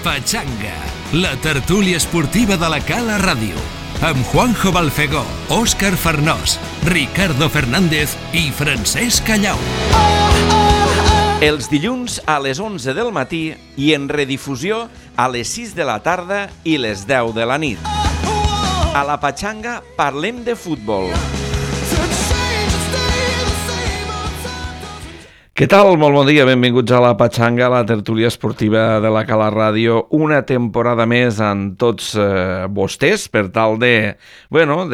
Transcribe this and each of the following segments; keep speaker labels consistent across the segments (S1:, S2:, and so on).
S1: Pachanga, la tertúlia esportiva de la Cala Ràdio, amb Juanjo Balfegó, Òscar Farnós, Ricardo Fernández i Francesc Callau.
S2: Els dilluns a les 11 del matí i en redifusió a les 6 de la tarda i les 10 de la nit. A la Pachanga parlem de futbol. Què tal? Molt bon dia, benvinguts a la Pachanga, la tertúlia esportiva de la Cala Ràdio. Una temporada més amb tots vostès per tal de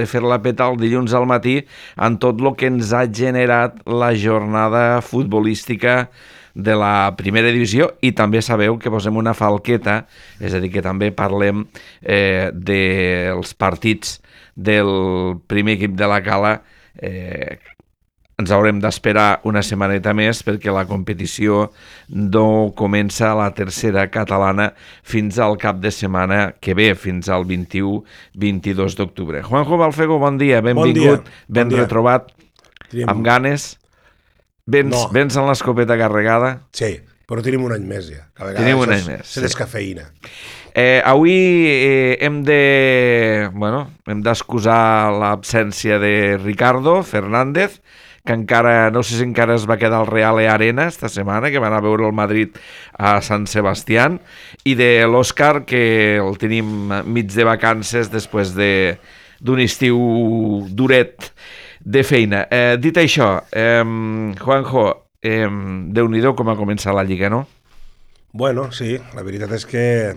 S2: fer-la petar el dilluns al matí amb tot el que ens ha generat la jornada futbolística de la primera divisió, i també sabeu que posem una falqueta, és a dir, que també parlem dels partits del primer equip de la Cala. Ens haurem d'esperar una setmaneta més perquè la competició no comença a la tercera catalana fins al cap de setmana que ve, fins al 21-22 d'octubre. Juanjo Balfegó, bon dia, benvingut, ben retrobat, amb ganes. Vens amb l'escopeta carregada?
S3: Sí, però tenim un any més ja.
S2: Tenim un any més.
S3: Se descafeïna.
S2: Avui hem d'excusar l'absència de Ricardo Fernández, que encara, no sé si encara es va quedar al Real Arena esta setmana, que van a veure el Madrid a Sant Sebastián, i de l'Òscar, que el tenim mig de vacances després d'un estiu duret de feina. Dit això, Juanjo, Déu-n'hi-do com ha començat la Lliga, no?
S3: Bueno, sí, la veritat és que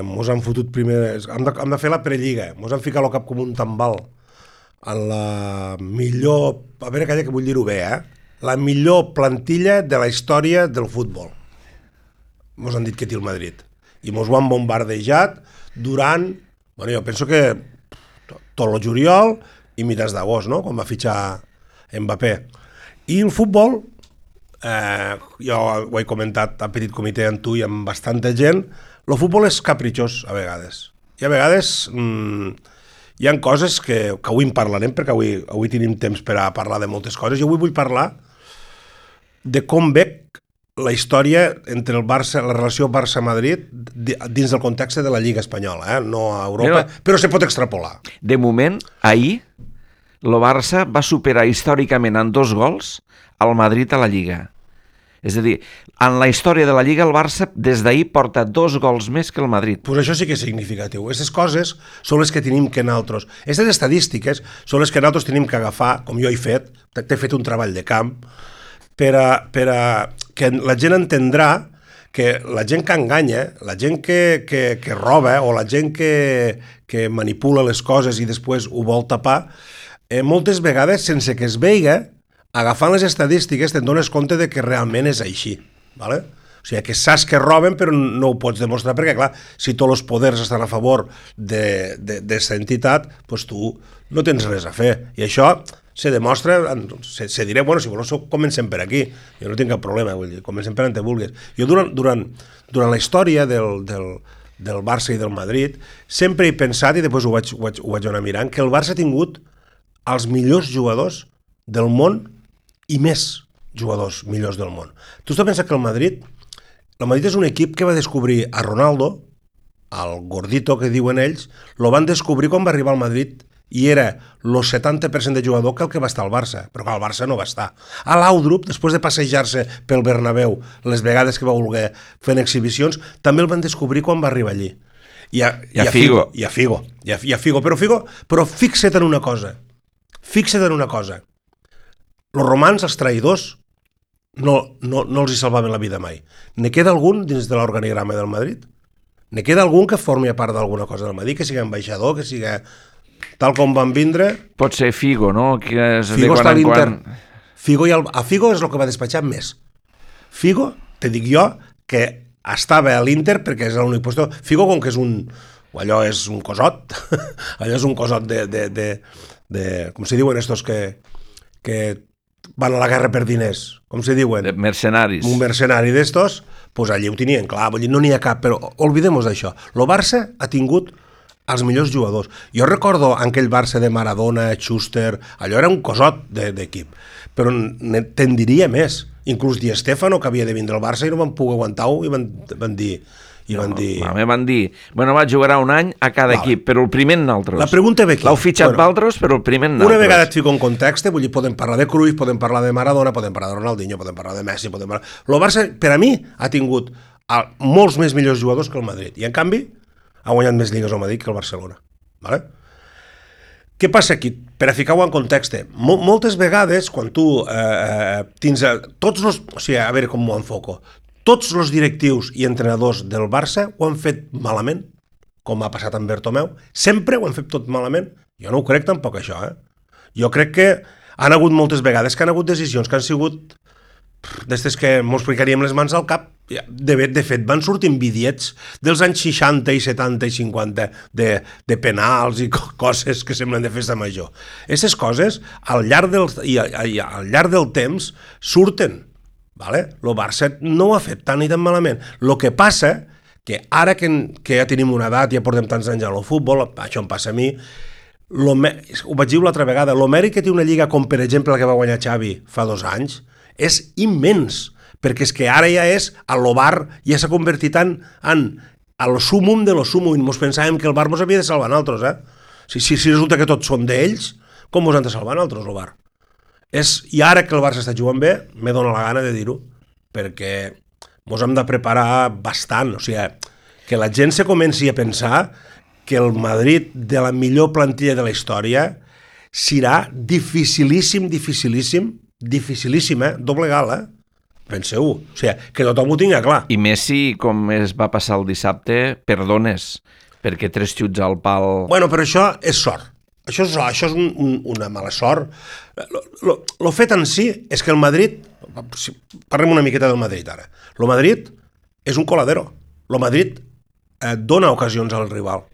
S3: mos han fotut primer... Hem de fer la prelliga, mos han ficat el cap com un tambal en la millor... A veure, calla que vull dir-ho bé, la millor plantilla de la història del futbol. Mos han dit que té el Madrid. I mos ho han bombardejat durant... Bueno, jo penso que tot el juliol i mitjans d'agost, no?, quan va fitxar Mbappé. I el futbol, jo ho he comentat a petit comitè amb tu i amb bastanta gent, el futbol és capritxós a vegades. I a vegades hi ha coses que avui en parlarem, perquè avui tenim temps per a parlar de moltes coses, i avui vull parlar de com veig la història entre el Barça, la relació Barça-Madrid dins del context de la Lliga Espanyola, no a Europa, però se pot extrapolar.
S2: De moment, ahir, el Barça va superar històricament en 2 gols al Madrid a la Lliga. És a dir, en la història de la Lliga el Barça des d'ahir porta 2 gols més que el Madrid.
S3: Pues això sí que és significatiu. Aquestes coses són les que tenim que nosaltres... Aquestes estadístiques són les que nosaltres tenim que agafar, com jo he fet, t'he fet un treball de camp, per a que la gent entendrà que la gent que enganya, la gent que roba o la gent que manipula les coses i després ho vol tapar, moltes vegades, sense que es veiga, agafant les estadístiques te'n dones compte de que realment és així, ¿vale? O sigui, que saps que roben però no ho pots demostrar perquè, clar, si tots els poders estan a favor d'aquesta entitat, doncs tu no tens res a fer. I això se demostra, se diré, bueno, si voleu comencem per aquí, jo no tinc cap problema, vull dir, comencem per on te vulguis. Jo durant la història del Barça i del Madrid sempre he pensat, i després ho vaig anar mirant, que el Barça ha tingut els millors jugadors del món i més jugadors millors del món. Tu has de pensar que el Madrid és un equip que va descobrir a Ronaldo, el gordito que diuen ells, lo van descobrir quan va arribar al Madrid i era el 70% de jugador que el que va estar al Barça, però que al Barça no va estar. A Laudrup, després de passejar-se pel Bernabéu les vegades que va voler fent exhibicions, també el van descobrir quan va arribar allí. I a Figo. Però fixa't en una cosa. Els romans, els traïdors, no els hi salvaven la vida mai. Ne queda algun dins de l'organigrama del Madrid? Ne queda algun que formi a part d'alguna cosa del Madrid, que sigui ambaixador, que sigui tal com van vindre?
S2: Pot ser Figo, no?
S3: Figo està a l'Inter. A Figo és el que va despatxar més. Figo, te dic jo, que estava a l'Inter perquè és l'únic lloc. Figo, com que és allò és un cosot, allò és un cosot com se diuen estos que van a la guerra per diners, com se diuen?
S2: De mercenaris.
S3: Un mercenari d'estos, doncs allí ho tenien clar, vull dir, no n'hi ha cap, però oblidem-nos d'això. El Barça ha tingut els millors jugadors. Jo recordo aquell Barça de Maradona, Schuster, allò era un cosot d'equip, però te'n diria més. Inclús Di Stéfano, que havia de vindre al Barça i no van poder aguantar-ho, i van dir, I van dir...
S2: Van dir, bueno, va, jugarà un any a cada equip, però el primer en altres.
S3: La pregunta ve aquí.
S2: L'heu fitxat d'altres, però el primer en altres.
S3: Una vegada et fico en context, vull dir, podem parlar de Cruyff, podem parlar de Maradona, podem parlar de Ronaldinho, podem parlar de Messi, podem parlar... El Barça, per a mi, ha tingut molts més millors jugadors que el Madrid. I, en canvi, ha guanyat més lligues el Madrid que el Barcelona. Vale? Què passa aquí? Per a ficar-ho en context, moltes vegades, quan tu tens tots els... O sigui, a veure com m'ho enfoco. Tots els directius i entrenadors del Barça ho han fet malament, com ha passat amb Bertomeu. Sempre ho han fet tot malament. Jo no ho crec tampoc, això. Jo crec que han hagut moltes vegades que han hagut decisions que han sigut d'estes que mos ficaríem les mans al cap. De fet, van sortir bitllets dels anys 60 i 70 i 50 de penals i coses que semblen de festa major. Aquestes coses, al llarg del temps, surten. Vale? El Barça no ho ha fet tan i tan malament. El que passa, que ara que ja tenim una edat, ja portem tants anys al futbol, això em passa a mi, ho vaig dir l'altra vegada, el mèrit que té una lliga com, per exemple, la que va guanyar Xavi fa 2 anys, és immens, perquè és que ara ja és, el Bar ja s'ha convertit en el súmum de lo súmum, i ens pensàvem que el Bar ens havia de salvar nosaltres, Si resulta que tots són d'ells, com ens han de salvar nosaltres, el Bar? I ara que el Barça està jugant bé, me dóna la gana de dir-ho, perquè ens hem de preparar bastant, o sigui, que la gent se comenci a pensar que el Madrid de la millor plantilla de la història serà dificilíssim, doblegar-la, penseu-ho, o sigui, que tothom ho tingui clar.
S2: I Messi, com es va passar el dissabte, perdones, perquè 3 xuts al pal...
S3: Bueno, però això és sort. Això és una mala sort. El fet en si és que el Madrid... Parlem una miqueta del Madrid ara. El Madrid és un coladero. El Madrid dona ocasions al rival.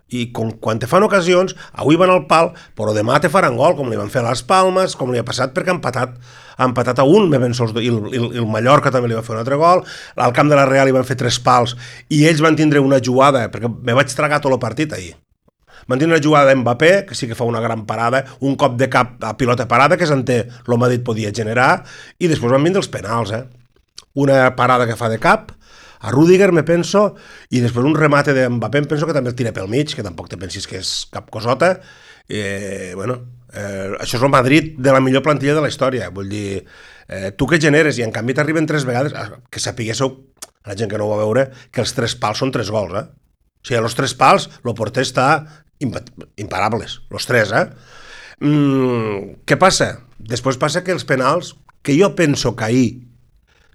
S3: I quan te fan ocasions, avui van al pal, però demà te faran gol, com li van fer a les Palmes, com li ha passat perquè ha empatat a 1, i el Mallorca també li va fer un altre gol, al camp de la Real li van fer 3 pals, i ells van tindre una jugada, perquè me vaig tragar tot el partit ahir. Van tindre una jugada d'Mbappé, que sí que fa una gran parada, un cop de cap a pilota parada, que s'entén el Madrid podia generar, i després van vindre els penals, una parada que fa de cap, a Rüdiger, me penso, i després un remate d'Mbappé, em penso que també el tira pel mig, que tampoc te pensis que és cap cosota. Això és el Madrid de la millor plantilla de la història. Vull dir, tu que generes, i en canvi t'arriben 3 vegades, que sapiguéssiu, la gent que no ho va veure, que els 3 pals són 3 gols, O sigui, els 3 pals, el porter està imparables, els 3, Què passa? Després passa que els penals, que jo penso que ahir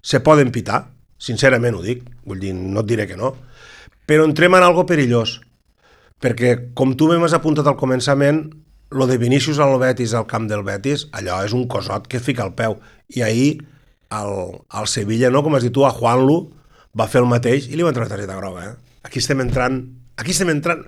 S3: se poden pitar, sincerament ho dic, vull dir, no et diré que no, però entrem en algo perillós, perquè com tu m'has apuntat al començament, lo de Vinícius al Betis, al camp del Betis, allò és un cosot que fica al peu, i ahir al Sevilla, no, com has dit tu, a Juanlu va fer el mateix i li van treure targeta groga, Aquí estem entrant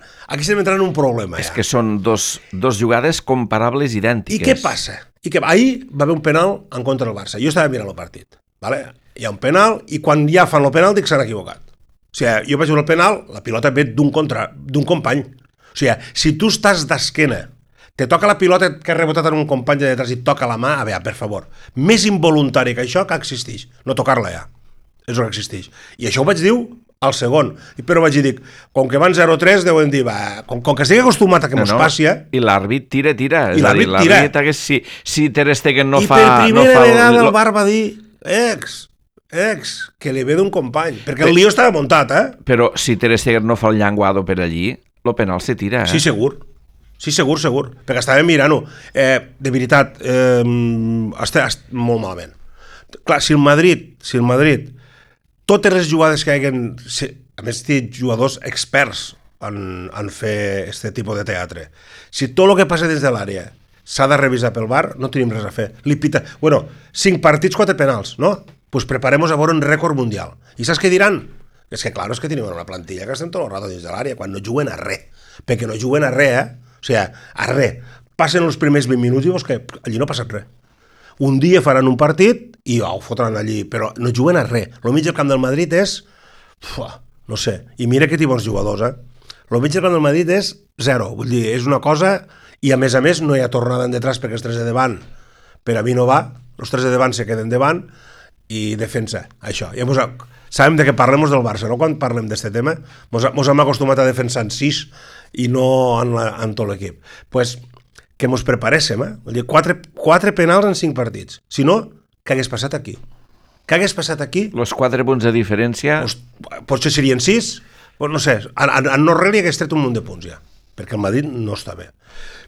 S3: en un problema,
S2: És que són dos jugades comparables, idèntiques.
S3: I què passa? Ahir va haver un penal en contra del Barça. Jo estava mirant el partit, vale? Hi ha un penal, i quan ja fan el penal dic s'han equivocat. O sigui, jo vaig veure el penal, la pilota ve d'un company. O sigui, si tu estàs d'esquena, te toca la pilota que ha rebotat en un company de detrás i et toca la mà, a veure, per favor, més involuntari que això que existeix, no tocar-la ja, és el que existeix. I això ho vaig dir al segon, però vaig dir, com que van 0-3, deuen dir, com que estigui acostumat a que mos passi...
S2: I l'àrbit tira.
S3: I l'àrbit tira.
S2: Si Ter Stegen no fa...
S3: I per primera vegada el Bar va dir, que li ve d'un company, perquè el lío estava muntat,
S2: Però si Ter Stegen no fa el llenguado per allí, el penal se tira,
S3: Sí, segur, perquè estàvem mirant-ho. De veritat, està molt malament. Clar, si el Madrid, totes les jugades que haguen... A més, té jugadors experts en fer aquest tipus de teatre. Si tot el que passa dins de l'àrea s'ha de revisar pel VAR, no tenim res a fer. 5 partits, 4 penals, no? Pues preparemos a veure un rècord mundial. I saps què diran? És que, clar, és que tenim una plantilla que estem tot el rato dins de l'àrea, quan no juguen a res. Perquè no juguen a res, O sigui, a res. Passen els primers 20 minuts i veus que allí no ha passat res. Un dia faran un partit i ho fotran allí, però no juguen a res. El mig del camp del Madrid és... no sé. I mira que té bons jugadors, El mig del camp del Madrid és 0. Vull dir, és una cosa... I a més, no hi ha tornada en detrás perquè els 3 de davant per a mi no va. Els 3 de davant se queden davant i defensa, això. Llavors, sabem de què parlem del Barça, no? Quan parlem d'aquest tema, mos hem acostumat a defensar en 6 i no en tot l'equip. Pues, que mos preparéssim, Vull dir, 4 penals en 5 partits. Si no, què hagués passat aquí? Què hagués passat aquí?
S2: Los 4 punts de diferència...
S3: Potser serien 6, pues no sé, en no-res hagués tret un munt de punts ja, perquè el Madrid no està bé.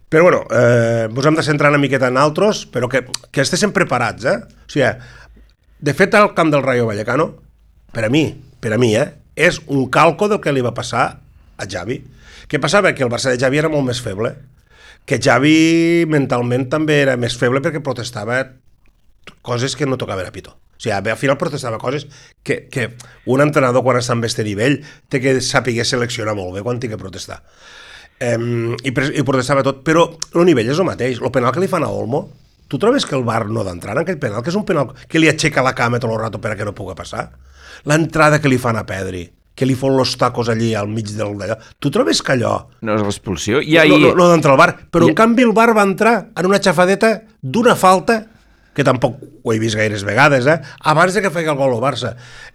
S3: Però bueno, ens hem de centrar una miqueta en altres, però que estiguem preparats, O sigui, de fet, el camp del Rayo Vallecano, per a mi, és un calco del que li va passar a Xavi. Què passava? Que el Barça de Xavi era molt més feble, que Xavi mentalment també era més feble perquè protestava coses que no tocaven a pito. O sigui, al final protestava coses que un entrenador quan està en aquest nivell té que saber seleccionar molt bé quan té que protestar. I protestava tot, però el nivell és el mateix. El penal que li fan a Olmo, tu trobes que el VAR no d'entrar en aquell penal, que és un penal que li aixeca la cama tot el rato per a que no pugui passar? L'entrada que li fan a Pedri, que li fon los tacos allí al mig d'allò, tu trobes que allò...
S2: No és l'expulsió?
S3: No d'entrar al VAR, però en canvi el VAR va entrar en una xafadeta d'una falta que tampoc ho he vist gaires vegades, abans de que feia el gol al Barça.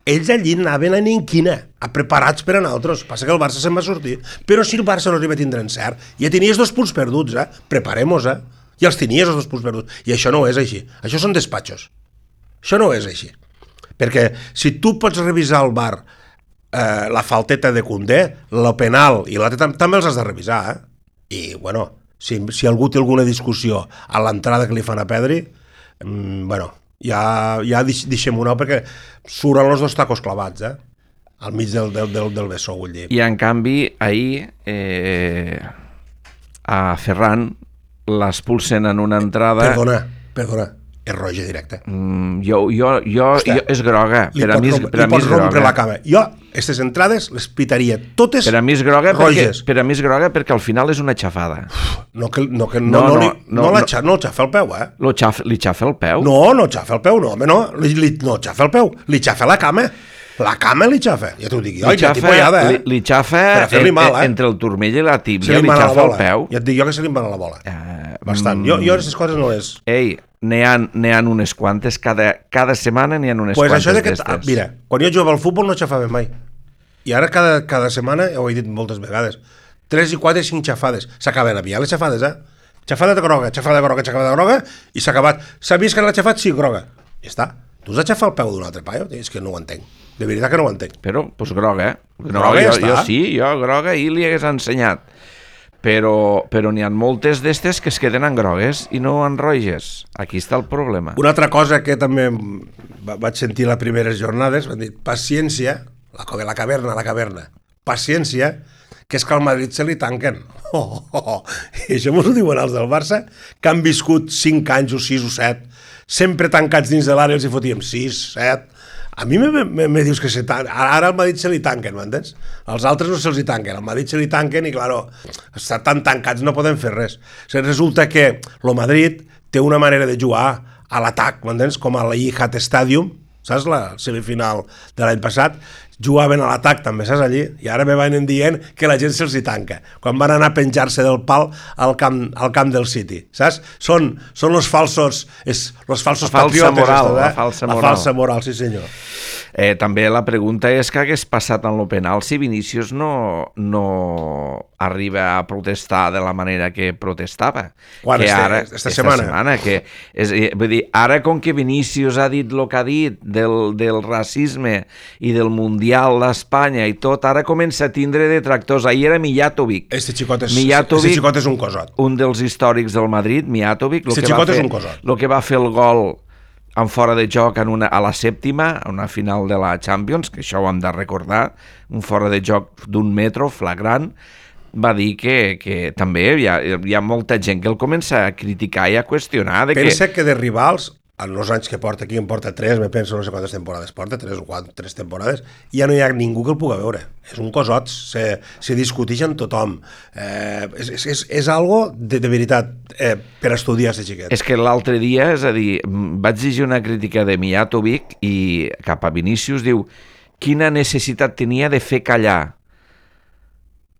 S3: Ells allí anaven a ninquina, preparats per a nosaltres. Passa que el Barça se'n va sortir. Però si el Barça no arriba a tindre encert, ja tenies 2 punts perduts, preparem-nos, i els tenies els 2 punts perduts. I això no és així. Això són despatxos. Això no és així. Perquè si tu pots revisar al VAR la falteta de Koundé, el penal i l'altre també els has de revisar, I, bueno, si algú té alguna discussió a l'entrada que li fan a Pedri, bueno, ja deixem-ho anar perquè surten els 2 tacos clavats, al mig del vessó, vull dir.
S2: I en canvi, ahir a Ferran l'expulsen en una entrada...
S3: Perdona, és roja directa.
S2: És groga.
S3: Li pots rompre la cama. Jo, aquestes entrades les pitaria totes roges.
S2: Per a mi és groga perquè al final és una xafada.
S3: No el xafa el peu,
S2: Li xafa el peu?
S3: No xafa el peu, no, home, no. No xafa el peu, li xafa la cama. La cama li xafa, ja t'ho dic jo,
S2: li xafa entre el turmell i la tíbia, li xafa el peu.
S3: Ja et dic jo que se li en va a la bola. Bastant. Jo aquestes coses no les...
S2: Ei, n'hi ha unes quantes, cada setmana n'hi ha unes quantes d'estes.
S3: Mira, quan jo jugava al futbol no xafava mai. I ara cada setmana, ho he dit moltes vegades, 3 i 4 i 5 xafades. S'acaben aviat les xafades, Xafada de groga, i s'ha acabat. S'ha vist que l'ha xafat? Sí, groga. Ja està. Tu has de xafar el peu d'un altre paio? És que no ho entenc. De veritat que no ho entenc.
S2: Però, doncs groga,
S3: Groga ja està.
S2: Jo groga i li hagués ensenyat. Però n'hi ha moltes d'estes que es queden en grogues i no en roges. Aquí està el problema.
S3: Una altra cosa que també vaig sentir les primeres jornades, van dir, paciència, la caverna, paciència, que és que al Madrid se li tanquen. I això m'ho diuen els del Barça, que han viscut 5 anys o 6 o 7, sempre tancats dins de l'àrea, els hi fotíem 6, 7... A mi me dius que ara al Madrid se li tanquen, m'entens? Els altres no se'ls hi tanquen, al Madrid se li tanquen i, claro, estan tan tancats no poden fer res. Resulta que el Madrid té una manera de jugar a l'atac, m'entens? Com a l'Etihad Stadium, saps? La semifinal de l'any passat, jugaven a l'atac també, saps, allí? I ara me van dient que la gent se'ls hi tanca. Quan van anar a penjar-se del pal al camp del City, saps? Són els falsos patriotes.
S2: La falsa moral,
S3: sí senyor.
S2: També la pregunta és què hagués passat en el penal si Vinícius no arriba a protestar de la manera que protestava.
S3: Quan esta setmana?
S2: Vull dir, ara com que Vinícius ha dit el que ha dit del racisme i del Mundial d'Espanya i tot, ara comença a tindre detractors. Ahir era Mijatovic.
S3: Este xicot és un cosot.
S2: Un dels històrics del Madrid, Mijatovic, el que va fer el gol en fora de joc a la sèptima, a una final de la Champions, que això ho hem de recordar, un fora de joc d'1 metro, flagrant, va dir que també hi ha molta gent que el comença a criticar i a qüestionar.
S3: Pensa que de rivals, en els anys que porta aquí, en porta 3, me penso no sé quantes temporades porta, 3 o 4, 3 temporades, ja no hi ha ningú que el pugui veure. És un cosot, se discuteix amb tothom. És algo de veritat per estudiar aquest xiquet.
S2: És que l'altre dia, és a dir, vaig llegir una crítica de Mijatovic i cap a Vinícius diu quina necessitat tenia de fer callar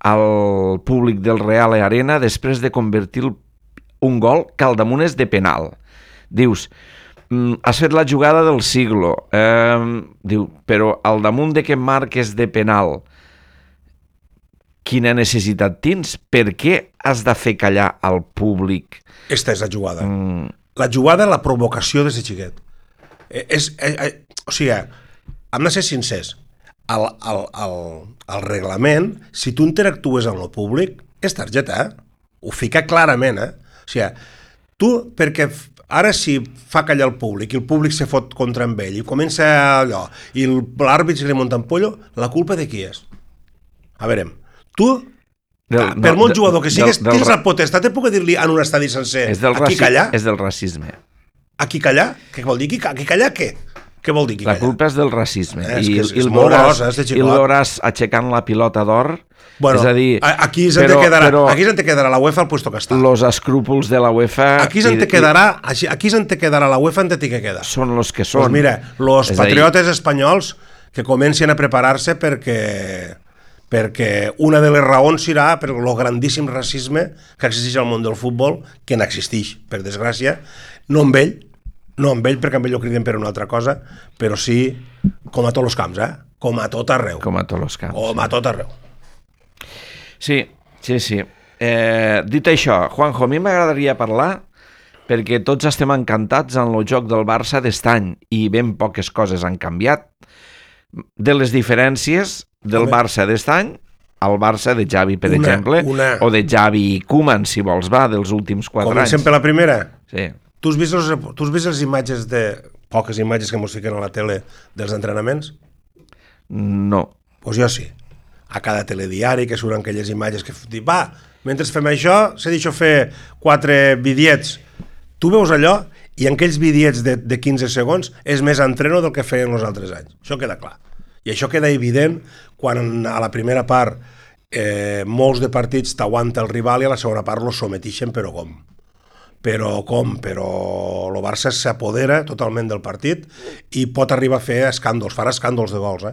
S2: al públic del Real Arena després de convertir un gol que al damunt és de penal. Dius, has fet la jugada del siglo. Diu, però al damunt de que marques de penal, quina necessitat tens? Per què has de fer callar al públic?
S3: Esta és la jugada. La jugada, la provocació des de xiquet. O sigui, hem de ser sincers. Al reglament, si tu interactues amb el públic, és targeta, ho fica clarament, O sigui, tu, perquè ara si fa callar el públic i el públic se fot contra amb ell i comença allò, i l'àrbit se li munta en pollo, la culpa de qui és? A veure, tu, per molt jugador que sigues, tens la potestat de poder dir-li en un estadi sencer aquí callar?
S2: És del racisme.
S3: Aquí callar? Què vol dir? Aquí callar què? Què vol dir aquí callar?
S2: La culpa és del racisme.
S3: És molt gros,
S2: I el veuràs aixecant la pilota d'or.
S3: Bueno,
S2: és a dir,
S3: aquí se'n te quedarà la UEFA al puesto que està.
S2: Los escrúpols de la UEFA...
S3: Aquí se'n te quedarà la UEFA en te que queda.
S2: Són los que són.
S3: Pues mira, los patriotes espanyols que comencen a preparar-se perquè una de les raons serà per el grandíssim racisme que existeix al món del futbol, que n'existeix, per desgràcia, no amb ell, perquè amb ell ho criden per una altra cosa, però sí com a tots els camps, com a tot arreu.
S2: Com a tots els camps.
S3: Com a tot arreu.
S2: Sí. Dit això, Juanjo, a mi m'agradaria parlar, perquè tots estem encantats en el joc del Barça d'estany i ben poques coses han canviat, de les diferències del Barça d'estany al Barça de Xavi, per exemple, o de Xavi i Koeman, si vols, dels últims 4 anys.
S3: Comencem per la primera?
S2: Sí.
S3: Tu has vist les imatges poques imatges que mos fiquen a la tele dels entrenaments?
S2: No.
S3: Doncs jo sí. A cada telediari que surten aquelles imatges que diuen, mentre fem això, s'ha dit fer 4 vídeos. Tu veus allò i en aquells vídeos de 15 segons és més entreno del que feien els altres anys. Això queda clar. I això queda evident quan a la primera part molts de partits t'aguanta el rival i a la segona part los sometixen, però com? Però el Barça s'apodera totalment del partit i pot arribar a fer escàndols, farà escàndols de gols,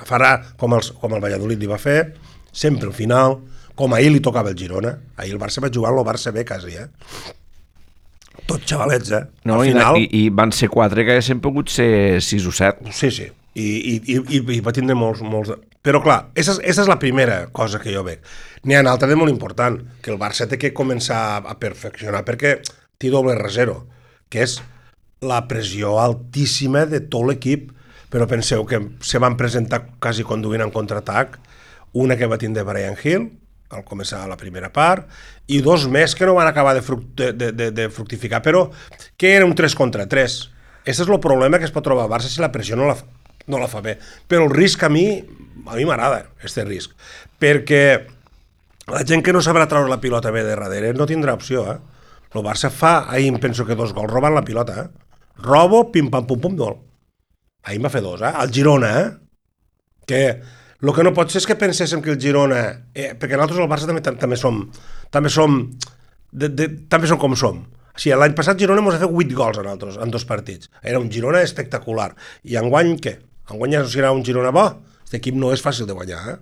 S3: farà com el Valladolid li va fer, sempre al final, com ahir li tocava el Girona. Ahir el Barça va jugar el Barça B quasi, Tots xavalets,
S2: No, al final... I van ser 4 que haguessin pogut ser 6 o 7.
S3: Sí. I va tindre molts... Però clar, aquesta és la primera cosa que jo veig. N'hi ha una altra de molt important, que el Barça té que començar a perfeccionar perquè té doble rasero, que és la pressió altíssima de tot l'equip. Però penseu que se van presentar quasi conduint en contraatac, una que va tindre Bryan Gil, al començar la primera part, i 2 més que no van acabar de fructificar, però que era un 3 contra 3. Aquest és el problema que es pot trobar el Barça si la pressió no la fa bé. Però el risc a mi m'agrada, aquest risc, perquè la gent que no sabrà treure la pilota bé de darrere no tindrà opció, El Barça fa, ahir em penso que 2 gols, robant la pilota, Robo, pim-pam-pum-pum, gol. Ahir en va fer 2, El Girona, que el que no pot ser és que penséssim que el Girona, perquè nosaltres al Barça també som com som. O sigui, l'any passat Girona ens ha fet 8 gols a nosaltres, en 2 partits. Era un Girona espectacular. I enguany, què? Enguany ja serà un Girona bo? Aquest equip no és fàcil de guanyar,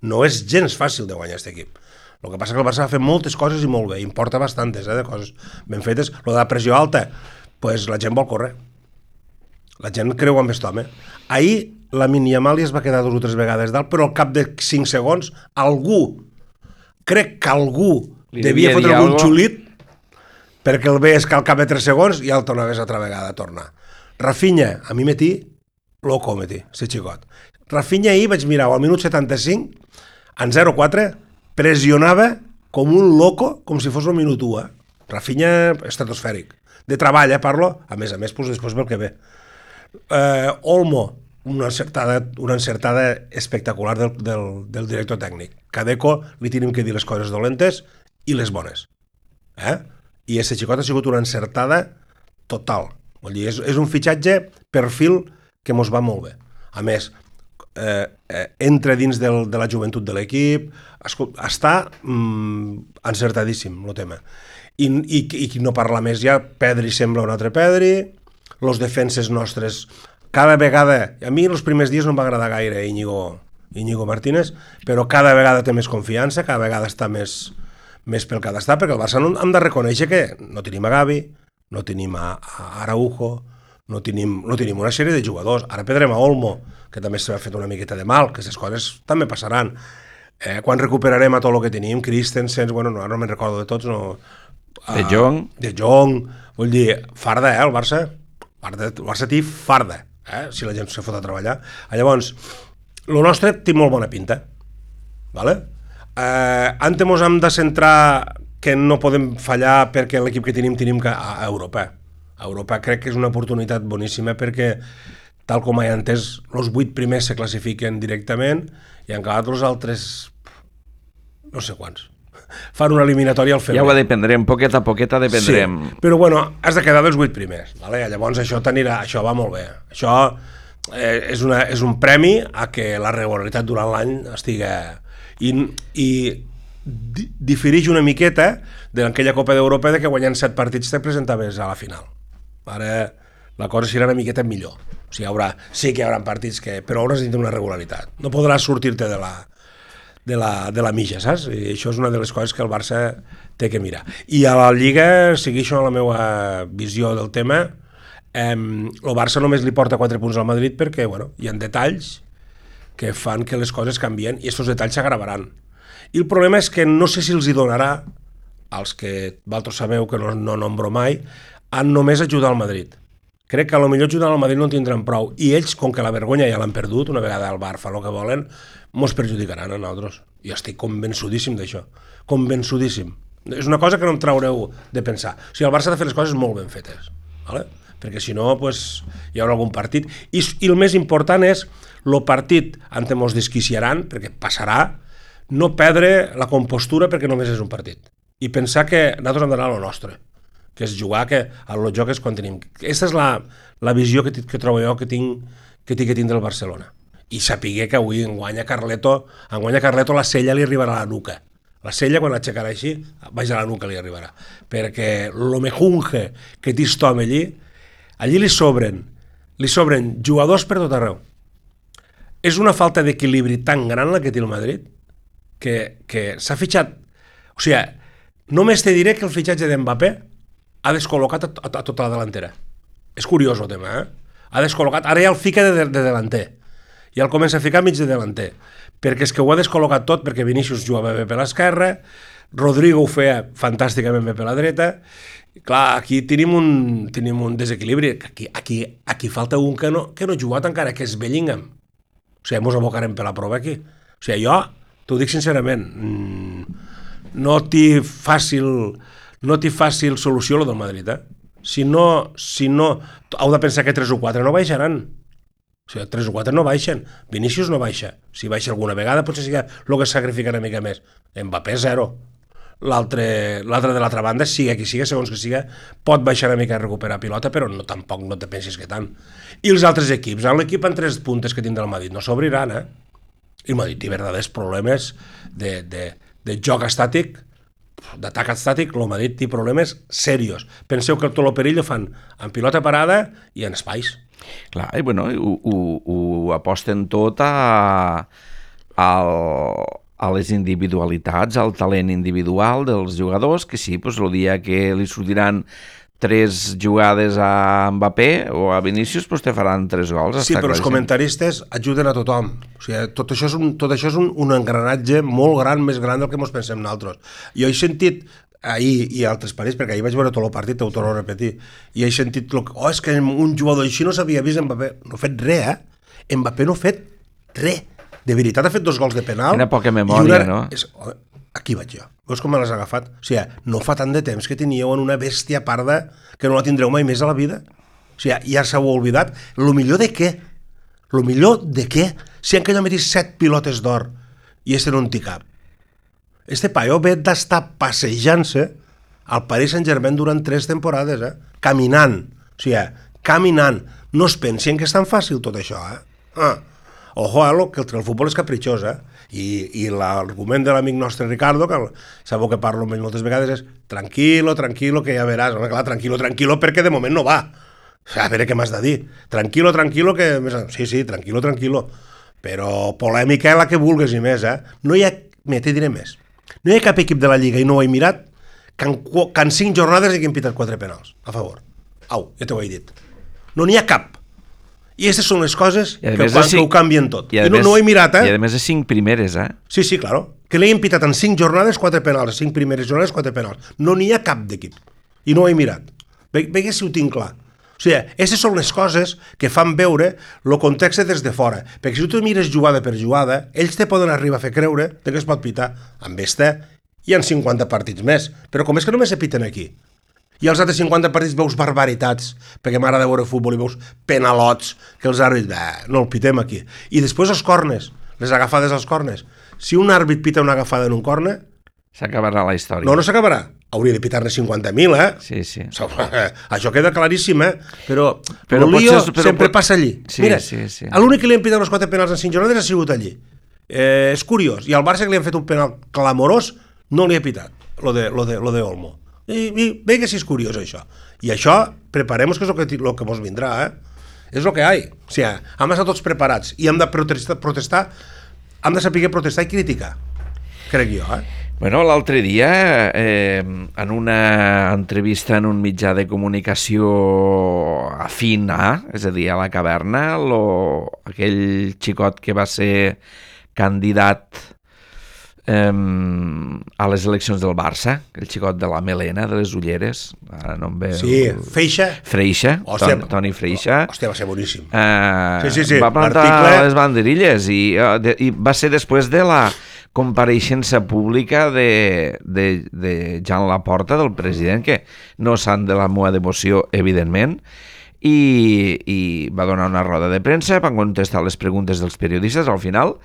S3: No és gens fàcil de guanyar aquest equip. El que passa que el Barça va fer moltes coses i molt bé, importa bastantes, de coses ben fetes. Lo de la pressió alta, pues la gent vol córrer. La gent creu en aquest home. Ahir la Yamal es va quedar 2 o 3 vegades dalt, però al cap de 5 segons crec que algú devia fotre algun xulit perquè el veies que al cap de 3 segons i el tornaves altra vegada a tornar. Rafinha, a mi loco, este xicot. Rafinha ahir vaig mirar al minut 75, en 0-4, pressionava com un loco, com si fos el minut 1. Rafinha estratosfèric. De treball, parlo, a més, després pel que ve. Olmo, una encertada espectacular del director tècnic. Cadeco li tenim que dir les coses dolentes i les bones. I aquest xicot ha sigut una encertada total. Vull dir, és un fitxatge perfil que mos va molt bé. A més, entra dins de la joventut de l'equip, està encertadíssim el tema. I no parla més ja, Pedri sembla un altre Pedri, els defenses nostres, cada vegada, a mi els primers dies no em va agradar gaire Íñigo Martínez, però cada vegada té més confiança, cada vegada està més pel que ha d'estar, perquè el Barça hem de reconèixer que no tenim a Gavi, no tenim a Araujo, no tenim una sèrie de jugadors. Ara perdrem a Olmo, que també s'ha fet una miqueta de mal, que aquestes coses també passaran. Quan recuperarem a tot el que tenim, Christensen, bueno, no me'n recordo de tots, no...
S2: De Jong,
S3: vull dir, farda, el Barça. El Barça té farda, si la gent se fot a treballar. Llavors, el nostre té molt bona pinta, vale? Antes mos hem de centrar que no podem fallar perquè l'equip que tenim a Europa. A Europa crec que és una oportunitat boníssima perquè, tal com he entès, els 8 primers se classifiquen directament i en cada els altres, no sé quants, fan una eliminatòria al febrer.
S2: Ja ho dependrem, poquet a poquet dependrem.
S3: Sí, però bueno, has de quedar dels 8 primers, vale? Llavors això va molt bé. Això és un premi a que la regularitat durant l'any estigui... I difereix una miqueta d'aquella Copa d'Europa que guanyant 7 partits te presentaves a la final. Ara la cosa serà una miqueta millor. O sigui, sí que hi haurà partits però hauràs de tenir una regularitat. No podràs sortir-te de la mitja, saps? I això és una de les coses que el Barça té que mirar. I a la Lliga, segueixo la meva visió del tema, el Barça només li porta 4 punts al Madrid perquè hi ha detalls que fan que les coses canvien i aquests detalls s'agravaran. I el problema és que no sé si els hi donarà, als que vosaltres sabeu que no nombro mai, a només ajudar al Madrid. Crec que a lo millor ajudar al Madrid no en tindran prou. I ells, com que la vergonya ja l'han perdut, una vegada al bar fa el que volen, mos perjudicaran a nosaltres. I estic convençudíssim d'això. Convençudíssim. És una cosa que no em traureu de pensar. O sigui, el Barça ha de fer les coses molt ben fetes. ¿Vale? Perquè si no, hi haurà algun partit. I el més important és el partit on mos desquiciaran, perquè passarà, no perdre la compostura perquè només és un partit. I pensar que nosaltres hem d'anar a lo nostre, que és jugar a lo joc és quan tenim. Aquesta és la visió que trobo jo que tinc que tindre el Barcelona. I sapiguer que avui enguanya Carleto la cella li arribarà a la nuca. La cella, quan l'aixecarà així, baix a la nuca li arribarà. Perquè lo mejunge que té aquest home allí li sobren jugadors per tot arreu. És una falta d'equilibri tan gran la que té el Madrid que s'ha fitxat... O sigui, només te diré que el fitxatge d'Mbappé ha descol·locat a tota la delantera. És curiós el tema, Ha descol·locat... Ara ja el fica de delanter. Ja el comença a ficar mig de delanter. Perquè és que ho ha descol·locat tot, perquè Vinícius jugava bé per l'esquerra, Rodrigo ho feia fantàsticament bé per la dreta. Clar, aquí tenim un desequilibri. Aquí falta un que no ha jugat encara, que és Bellingham. O sigui, ens abocarem per la prova aquí. O sigui, jo t'ho dic sincerament, no té fàcil solució el del Madrid, Si no, heu de pensar que 3 o 4 no baixaran. O sigui, 3 o 4 no baixen. Vinícius no baixa. Si baixa alguna vegada potser sigui el que sacrifica una mica més. Mbappé 0. L'altre de l'altra banda, siga qui siga, segons que siga, pot baixar una mica a recuperar pilota, però tampoc no te pensis que tant. I els altres equips, l'equip en 3 puntes que tindrà el Madrid no s'obriran, I el Madrid té verdaders problemes de joc estàtic, d'atac estàtic. El Madrid té problemes serios. Penseu que tot el perill ho fan en pilota parada i en espais.
S2: Clar, i bueno, ho aposten tot a les individualitats, al talent individual dels jugadors, que sí, el dia que li sortiran 3 jugades a Mbappé o a Vinícius, te faran 3 gols.
S3: Sí, però els comentaristes ajuden a tothom. O sigui, tot això és un engranatge molt gran, més gran del que ens pensem nosaltres. Jo he sentit ahir i altres partits, perquè ahir vaig veure tot el partit, ho torno a repetir, i he sentit és que un jugador així no s'havia vist Mbappé. No ha fet res, Mbappé no ha fet res. De veritat ha fet 2 gols de penal.
S2: Quina poca memòria, no?
S3: Aquí vaig jo. Veus com me l'has agafat? O sigui, no fa tant de temps que teníeu en una bèstia parda que no la tindreu mai més a la vida. O sigui, ja s'heu oblidat. Lo millor de què? Lo millor de què? Si en aquell home té 7 pilotes d'or i este no en té cap. Este paio ve d'estar passejant-se al Paris Saint-Germain durant 3 temporades, caminant. O sigui, caminant. No es pensin que és tan fàcil tot això, Ojo, que el futbol és capritxós, I l'argument de l'amic nostre Ricardo, que sabeu que parlo amb ell moltes vegades, és tranquilo, que ja veràs. Home, clar, tranquilo, perquè de moment no va. A veure què m'has de dir. Tranquilo, que... Sí, tranquilo. Però polèmica la que vulgues i més, No hi ha... Te diré més. No hi ha cap equip de la Lliga, i no ho he mirat, que en 5 jornades hagin pitat 4 penals a favor. Au, ja t'ho he dit. No n'hi ha cap. I aquestes són les coses que ho canvien tot. I no ho he mirat,
S2: I a més de 5 primeres,
S3: Sí, claro. Que l'hagin pitat en 5 jornades 4 penals, 5 primeres jornades 4 penals. No n'hi ha cap d'equip. I no ho he mirat. Veig si ho tinc clar. O sigui, aquestes són les coses que fan veure el context des de fora. Perquè si tu mires jugada per jugada, ells te poden arribar a fer creure que es pot pitar amb esta i en 50 partits més. Però com és que només se piten aquí? I als altres 50 partits veus barbaritats, perquè m'agrada veure futbol i veus penalots, que els àrbits, no el pitem aquí. I després els cornes, les agafades als cornes. Si un àrbit pita una agafada en un corne...
S2: S'acabarà la història.
S3: No s'acabarà. Hauria de pitar-ne 50.000,
S2: Sí.
S3: Això queda claríssim, Però el lío sempre passa allí. Mira, l'únic que li han pitat els 4 penals en 5 jornades ha sigut allí. És curiós. I al Barça, que li han fet un penal clamorós, no li ha pitat, lo de Olmo. I ve que si és curiós, això. I això, preparem-nos, que és el que mos vindrà, És el que hi ha. O sigui, hem d'estar tots preparats i hem de protestar, hem de saber protestar i criticar, crec jo,
S2: Bueno, l'altre dia, en una entrevista en un mitjà de comunicació afín és a dir, a la Caverna, aquell xicot que va ser candidat a les eleccions del Barça, el xicot de la melena, de les ulleres, ara no em ve...
S3: Sí, Freixa.
S2: Toni Freixa.
S3: Hòstia, va ser boníssim.
S2: Sí. Va plantar les banderilles i va ser després de la compareixença pública de Jean Laporta, del president, que no sant de la meva devoció, evidentment, i va donar una roda de premsa, van contestar les preguntes dels periodistes. Al final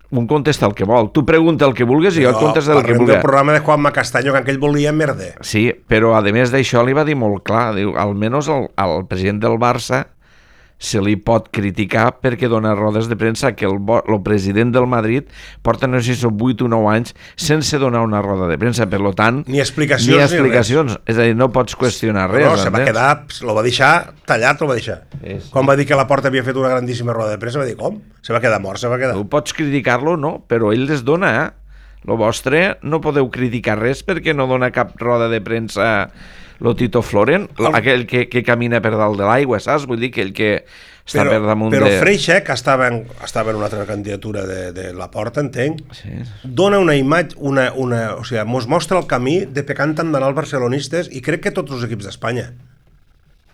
S2: un contesta el que vol. Tu pregunta el que vulguis i jo et contesta el que vulguis.
S3: Parlem del programa de Juanma Castaño, que aquell volia merder.
S2: Sí, però a més d'això li va dir molt clar, diu, almenys al president del Barça se li pot criticar perquè dona rodes de premsa, que el president del Madrid porta, no sé si són 8 o 9 anys sense donar una roda de premsa, per tant...
S3: Ni explicacions.
S2: És a dir, no pots qüestionar res.
S3: No, se va quedar, lo va deixar tallat, lo va deixar. Quan va dir que Laporta havia fet una grandíssima roda de premsa, va dir, com? Se va quedar mort, se va quedar.
S2: Tu pots criticar-lo, no? Però ell les dona, Lo vostre no podeu criticar res perquè no dona cap roda de premsa lo Tito Floren, aquell que camina per dalt de l'aigua, saps? Vull dir que el que està per damunt
S3: però Freixa, que estava en una altra candidatura de Laporta, entenc, dona una imatge, o sigui, mos mostra el camí de per què han d'anar els barcelonistes, i crec que tots els equips d'Espanya,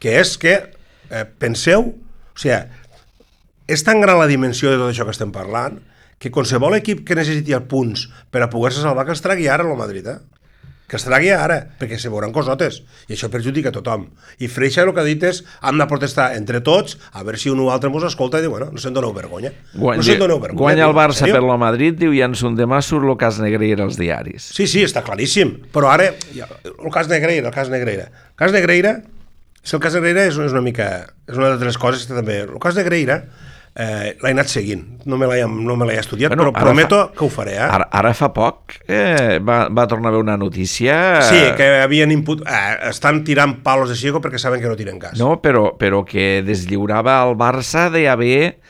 S3: que és que, penseu, o sigui, és tan gran la dimensió de tot això que estem parlant, que qualsevol equip que necessiti els punts per a poder-se salvar, que els tragui ara el Madrid, que els tragui ara, perquè se veuran cosotes, i això perjudica a tothom. I Freixa el que ha dit és, hem de protestar entre tots, a veure si un o altre ens escolta i diu, bueno, no se'n doneu vergonya.
S2: Guanya el Barça per lo Madrid, diu, i en son demà surt el cas Negreira als diaris.
S3: Sí, està claríssim, però ara, el cas Negreira, és una mica, és una de les coses que també, el cas Negreira, l'he anat seguint, no me l'he estudiat, però prometo que ho faré.
S2: Ara fa poc va tornar a haver una notícia...
S3: Sí, que havien estan tirant palos de ciego perquè saben que no tiren cas.
S2: No, però que deslliurava el Barça d'haver...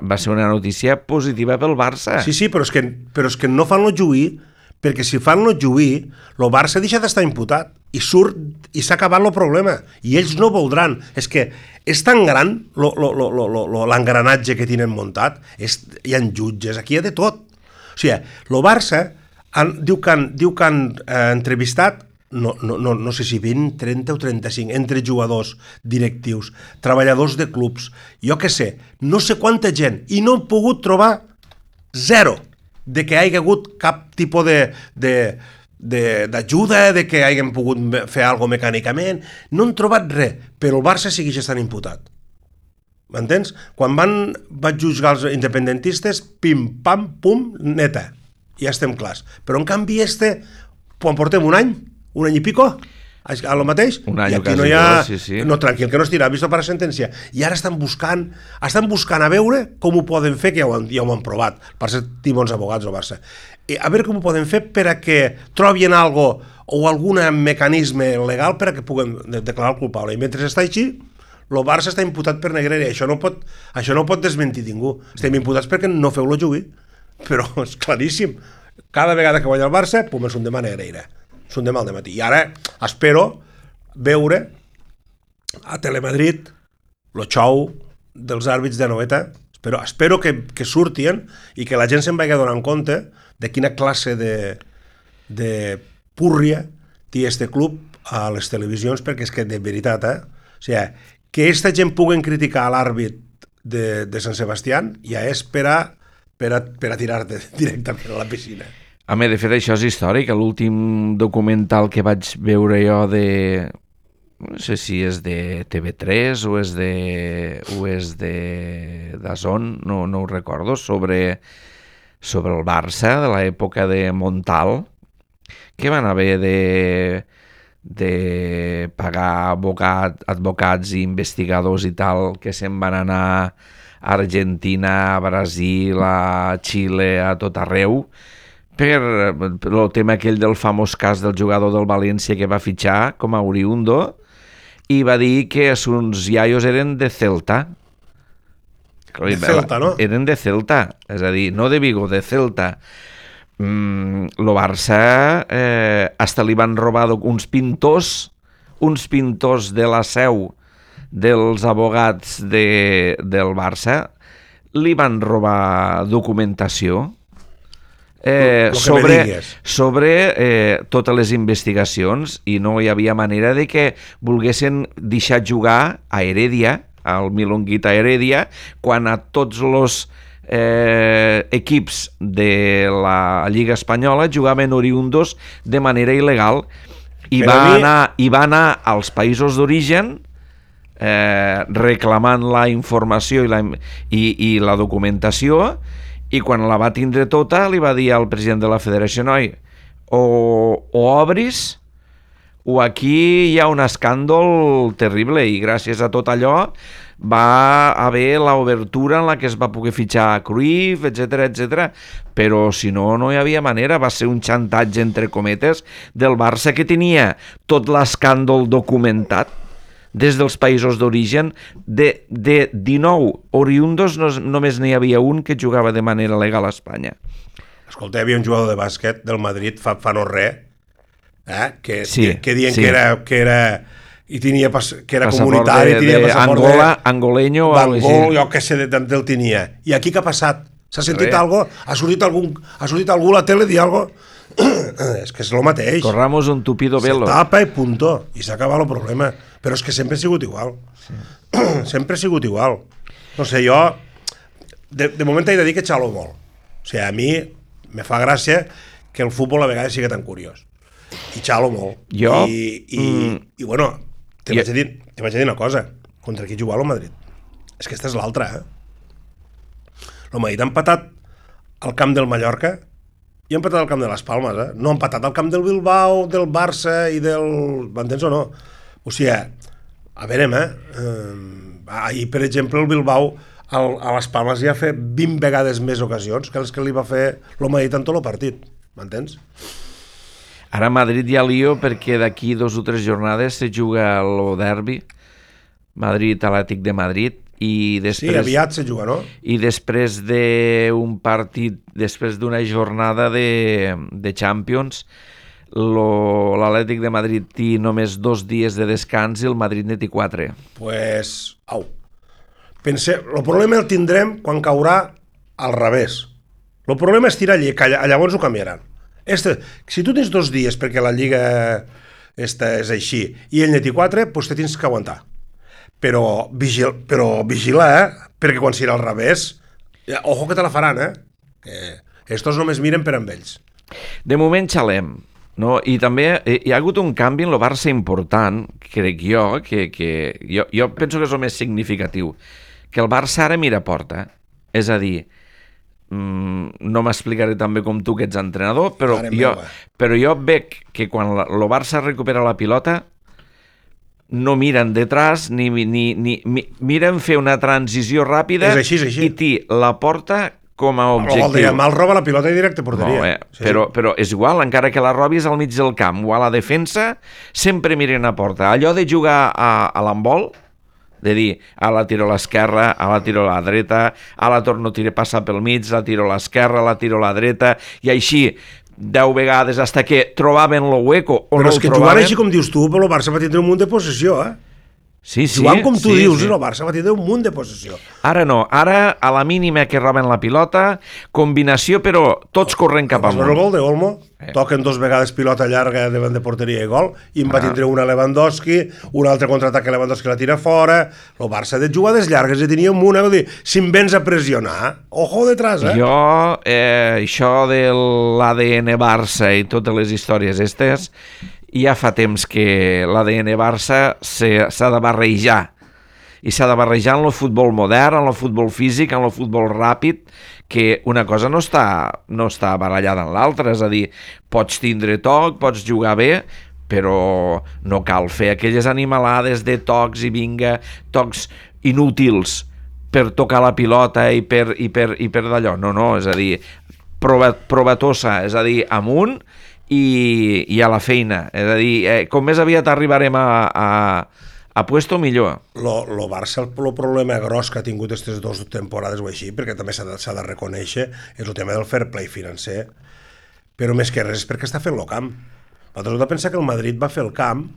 S2: va ser una notícia positiva pel Barça.
S3: Sí, però és que no fan-lo lluir, perquè si fan-lo lluir, el Barça deixa d'estar imputat i surt i s'ha acabat el problema, i ells no voldran. És que és tan gran l'engranatge que tenen muntat, hi ha jutges, aquí hi ha de tot. O sigui, el Barça diu que han entrevistat no sé si 20, 30 o 35 entre jugadors, directius, treballadors de clubs, jo què sé, no sé quanta gent, i no han pogut trobar zero de que hi hagi hagut cap tipus d'ajuda, de que hagin pogut fer alguna cosa mecànicament. No han trobat res, però el Barça segueix estant imputat. M'entens? Quan vaig jutjar els independentistes, pim, pam, pum, neta. Ja estem clars. Però en canvi quan portem un any i pico, a lo mateix,
S2: i
S3: aquí no hi ha... No, tranquil, que no es tira, visto per la sentència. I ara estan buscant a veure com ho poden fer, que ja ho han provat, per ser bons abogats al Barça. A veure com ho poden fer per a que trobin algo o algun mecanisme legal per a que puguem declarar el culpable. I mentre està així, el Barça està imputat per Negreira. Això no pot desmentir ningú. Estem imputats perquè no feu-lo jugar. Però és claríssim. Cada vegada que guanya el Barça, pum, és un demà Negreira. És un demà al dematí. I ara espero veure a Telemadrid el xou dels àrbits de Noeta. Espero que surtien i que la gent se'n vagi donant compte de quina classe de púrria té este club a les televisions, perquè és que de veritat, o sigui, que aquesta gent puguen criticar l'àrbit de Sant Sebastián ja és per a tirar-te directament a la piscina.
S2: Home, de fet, això és històric. L'últim documental que vaig veure jo no sé si és de TV3 o és de DAZN, no ho recordo, sobre el Barça de l'època de Montal, que van haver de pagar advocats i investigadors i tal, que se'n van anar a Argentina, a Brasil, a Xile, a tot arreu, per el tema aquell del famós cas del jugador del València que va fitxar com a oriundo i va dir que uns iaios eren de Celta.
S3: De Celta, no?
S2: Eren de Celta, és a dir, no de Vigo, de Celta. Lo Barça hasta li van robar uns pintors de la seu dels abogats del Barça, li van robar documentació sobre totes les investigacions, i no hi havia manera de que volguessin deixar jugar a Heredia, al Milonguita Heredia, quan a tots els equips de la Lliga Espanyola jugaven oriundos de manera il·legal, i va anar als països d'origen reclamant la informació i la documentació, i quan la va tindre tota li va dir al president de la federació: noi, o obris o aquí hi ha un escàndol terrible. I gràcies a tot allò va haver l'obertura en la que es va poder fitxar Cruyff, etc. Però si no, no hi havia manera. Va ser un xantatge, entre cometes, del Barça, que tenia tot l'escàndol documentat des dels països d'origen. De 19 oriundos només n'hi havia un que jugava de manera legal a Espanya.
S3: Escolta, hi havia un jugador de bàsquet del Madrid fa no res, que diuen
S2: sí.
S3: que era i tenia que era comunitari, tenia passaport
S2: angoleño o
S3: d'Angol, jo què sé d'on el tenia. I aquí què ha passat? S'ha sentit algo? Ha sortit algú a la tele dir algo? És que és el mateix.
S2: Corramos un tupido velo.
S3: Se tapa i punto. I s'acaba el problema. Però és que sempre ha sigut igual. Sí. Sempre ha sigut igual. No sé, jo de moment he de dir que xalo molt. O sigui, a mi me fa gràcia que el futbol a vegades sigui tan curiós. I xalo molt.
S2: Jo?
S3: I bueno, te vaig a dir una cosa. Contra qui jugava el Madrid? És que esta és l'altra, El Madrid ha empatat al camp del Mallorca i ha empatat al camp de les Palmes, No ha empatat al camp del Bilbao, del Barça i del... M'entens o no? O sigui, a veure, ahir, per exemple, el Bilbao a les Palmes ja ha fet 20 vegades més ocasions que les que li va fer el Madrid en tot el partit. M'entens?
S2: Ara a Madrid hi ha lío perquè d'aquí 2 o 3 jornades se juga el derbi Madrid-Atlètic de Madrid, i després...
S3: Sí, aviat se juga, no?
S2: I després d'un partit, després d'una jornada de Champions, l'Atlètic de Madrid té només 2 dies de descans i el Madrid ne té 4.
S3: Pues, au. El problema el tindrem quan caurà al revés. El problema és tirar que llavors ho canviaran. Si tu tens 2 dies perquè la Lliga és així i ell ne té 4, doncs te tens que aguantar. Però vigila, perquè quan serà al revés, ojo que te la faran, que estos només miren per amb ells.
S2: De moment xalem, no? I també hi ha hagut un canvi en el Barça important, crec jo, que jo penso que és el més significatiu, que el Barça ara mira a porta, és a dir, no m'explicaré tan bé com tu que ets entrenador, però jo veig que quan el Barça recupera la pilota no miren detrás ni miren fer una transició ràpida.
S3: És així.
S2: I té la porta com a objectiu.
S3: Mal roba la pilota i directe porteria.
S2: Però és igual, encara que la robis al mig del camp o a la defensa, sempre miren a porta. Allò de jugar a l'handbol, de dir, la tiro a l'esquerra, la tiro a la dreta, la torno a tirar, passar pel mig, la tiro a l'esquerra, la tiro a la dreta, i així 10 vegades hasta que trobaven lo hueco o
S3: però
S2: no
S3: és
S2: el
S3: que
S2: trobaven.
S3: jugant així com dius tu, però el Barça va tindre un munt de possessió,
S2: Sí,
S3: jugant com tu dius, el Barça va tindre un munt de possessió.
S2: Ara no, ara a la mínima que roben la pilota, combinació, però tots corren cap
S3: Vas veure el
S2: amunt.
S3: gol de Olmo? Toquen 2 vegades pilota llarga davant de porteria i gol, i en va tindre una Lewandowski, un altre contraatac que Lewandowski la tira fora. El Barça de jugades llargues ja tenia una, vull dir, si em vens a pressionar, ojo detrás,
S2: Jo, això de l'ADN Barça i totes les històries estes, ja fa temps que l'ADN Barça s'ha de barrejar, i s'ha de barrejar en el futbol modern, en el futbol físic, en el futbol ràpid, que una cosa no està barallada en l'altra, és a dir, pots tindre toc, pots jugar bé, però no cal fer aquelles animalades de tocs i vinga, tocs inútils per tocar la pilota i per d'allò. No, és a dir, provatosa, és a dir, amunt i a la feina. És a dir, com més aviat arribarem a puesto, millor.
S3: Lo Barça, el problema gros que ha tingut aquestes 2 temporades o així, perquè també s'ha de reconèixer, és el tema del fair play financer, però més que res és perquè està fent el camp. Nosaltres hem de pensar que el Madrid va fer el camp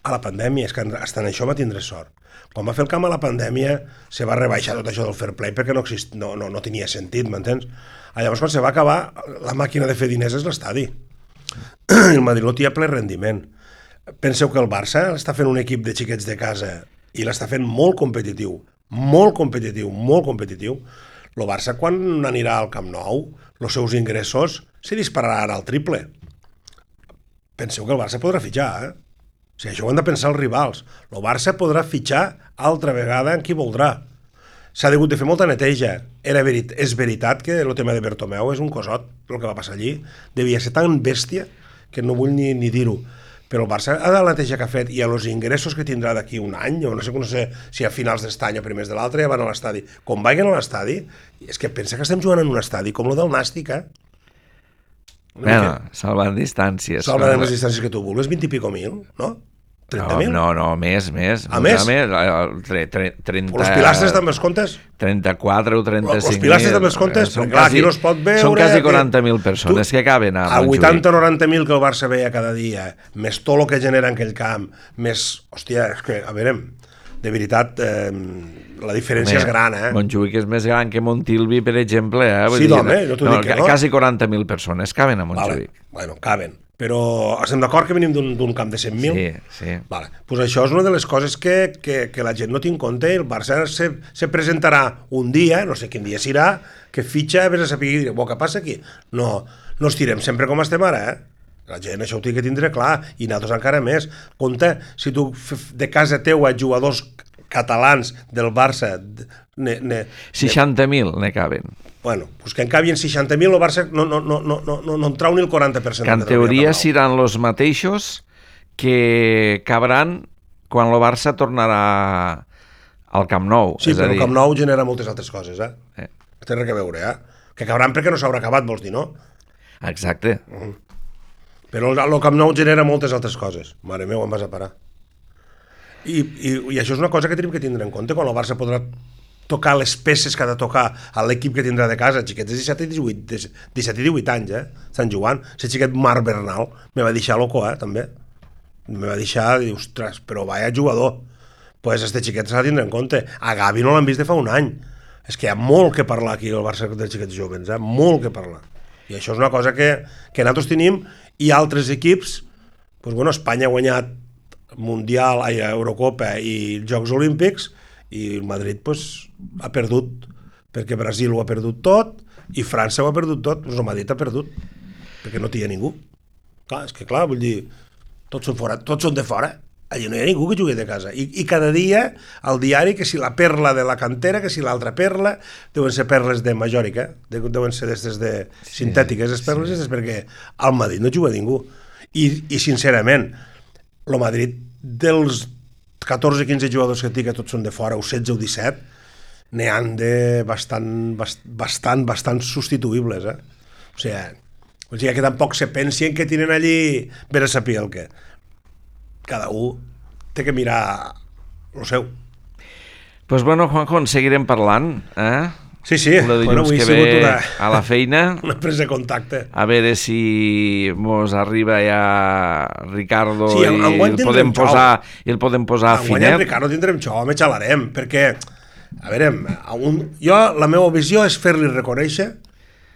S3: a la pandèmia, és que hasta en això va tindre sort. Quan va fer el camp a la pandèmia se va rebaixar tot això del fair play perquè no tenia sentit, m'entens? Llavors, quan se va acabar, la màquina de fer diners és l'estadi. El Madrid no té ple rendiment. Penseu que el Barça està fent un equip de xiquets de casa i l'està fent molt competitiu. El Barça, quan anirà al Camp Nou, els seus ingressos se dispararan al triple. Penseu que el Barça podrà fitxar, O sigui, això ho han de pensar els rivals. El Barça podrà fitxar altra vegada en qui voldrà. S'ha hagut de fer molta neteja. És veritat que el tema de Bertomeu és un cosot, el que va passar allí. Devia ser tan bèstia que no vull ni dir-ho. Però el Barça ha de la neteja que ha fet i a els ingressos que tindrà d'aquí un any, o no sé si a finals d'este any o primers de l'altre, ja van a l'estadi. Quan vagin a l'estadi, és que pensa que estem jugant en un estadi com el del Nàstic,
S2: Bueno, salvant distàncies.
S3: Salvant les distàncies que tu vulguis, 20 i pico mil, no? 30.000?
S2: No, més.
S3: A més?
S2: 30...
S3: Els pilastres també els comptes?
S2: 34 o 35.000.
S3: Els pilastres també els comptes? Perquè clar, aquí no es pot veure...
S2: Són quasi 40.000 persones que caben a Montjuïc.
S3: A 80 o 90.000 que el Barça veia cada dia, més tot el que genera en aquell camp, més... Hòstia, és que, a veure, de veritat, la diferència és gran,
S2: Montjuïc és més gran que Montilvi, per exemple,
S3: Sí, home, no t'ho dic que no.
S2: Quasi 40.000 persones caben a Montjuïc.
S3: Bueno, caben. Però estem d'acord que venim d'un camp de 100.000?
S2: Sí.
S3: Vale. Pues això és una de les coses que la gent no té en compte. El Barça se presentarà un dia, no sé quin dia serà, que fitxa, vés a saber i diré, què passa aquí? No estirem sempre com estem ara, La gent això ho té que tindre clar, i nosaltres encara més. Compte, si tu de casa teua jugadors catalans del Barça...
S2: 60.000 ne caben.
S3: Bueno, pues que en cabien 60.000, el Barça no en trau ni el 40%.
S2: Que en teoria seran els mateixos que cabran quan el Barça tornarà al Camp Nou.
S3: Sí, però el Camp Nou genera moltes altres coses, Té res a veure, Que cabran perquè no s'haurà acabat, vols dir, no?
S2: Exacte.
S3: Però el Camp Nou genera moltes altres coses. Mare meva, em vas a parar. I això és una cosa que tenim que tindre en compte quan el Barça podrà tocar les peces que ha de tocar a l'equip que tindrà de casa, xiquets de 17 i 18 anys, estan jugant. Si xiquet Marc Bernal me va deixar loco, també. Me va deixar, dir, ostres, però vaya jugador. Pues este xiquet s'ha de tindre en compte. A Gavi no l'han vist de fa un any. És que hi ha molt que parlar aquí al Barça dels xiquets jovens, molt que parlar. I això és una cosa que nosaltres tenim, i altres equips, doncs, bueno, Espanya ha guanyat Mundial, Eurocopa i Jocs Olímpics, i el Madrid ha perdut, perquè Brasil ho ha perdut tot i França ho ha perdut tot, el Madrid ha perdut perquè no hi ha ningú. Clar, és que clar, vull dir, tots són de fora, allà no hi ha ningú que jugui de casa, i cada dia al diari que si la perla de la cantera, que si l'altra perla, deuen ser perles de Majòrica, deuen ser d'aquestes sintètiques, les perles, és perquè al Madrid no juga ningú, i sincerament el Madrid dels 14-15 jugadors que té, que tots són de fora, o 16 o 17, n'hi han de bastant substituïbles, O sigui, que tampoc se pensin que tenen allí ben a saber el que. Cada un té que mirar el seu.
S2: Pues bueno, Juanjo, en seguirem parlant,
S3: Sí,
S2: El dilluns
S3: avui
S2: que
S3: ha sigut
S2: ve a la feina.
S3: una presa de contacte.
S2: A veure si mos arriba ja Ricardo
S3: Sí,
S2: i
S3: enguany tindrem
S2: el podem posar a
S3: Enguany en
S2: finet.
S3: Ricardo tindrem xou, me xalarem, perquè, a veure, la meva visió és fer-li reconèixer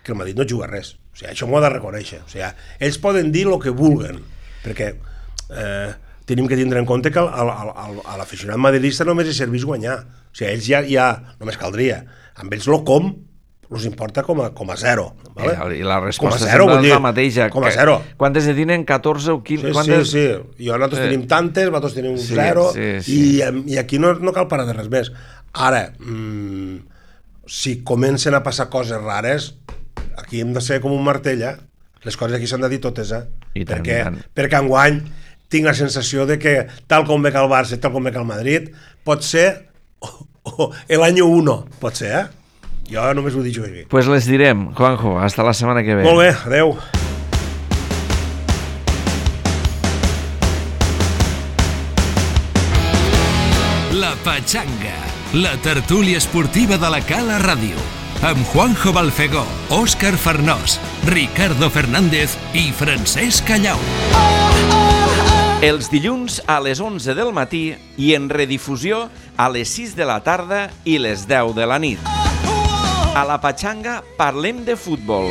S3: que el Madrid no juga res. O sigui, això m'ho ha de reconèixer. O sigui, ells poden dir el que vulguen, perquè tenim que tindre en compte que a l'aficionat madridista només hi serveix guanyar. O sigui, ells ja només caldria. Amb ells els importa com a zero. Vale?
S2: I la resposta sempre és la mateixa.
S3: Com a zero.
S2: Quantes ne tenen? 14 o 15?
S3: Sí. I nosaltres tenim tantes, vosaltres tenim un zero, i aquí no cal parar de res més. Ara, si comencen a passar coses rares, aquí hem de ser com un martell, les coses aquí s'han de dir totes, perquè enguany tinc la sensació de que tal com ve que el Barça, tal com ve que el Madrid, pot ser l'any 1, pot ser, Jo només ho dic aquí.
S2: Pues les direm, Juanjo, hasta la setmana que ve.
S3: Molt bé, adeu.
S1: La Pachanga, la tertúlia esportiva de la Cala Ràdio, amb Juanjo Balfegó, Òscar Farnós, Ricardo Fernández i Francesc Callau.
S2: Els dilluns a les 11 del matí i en redifusió a les 6 de la tarda i les 10 de la nit. A la Pachanga parlem de futbol.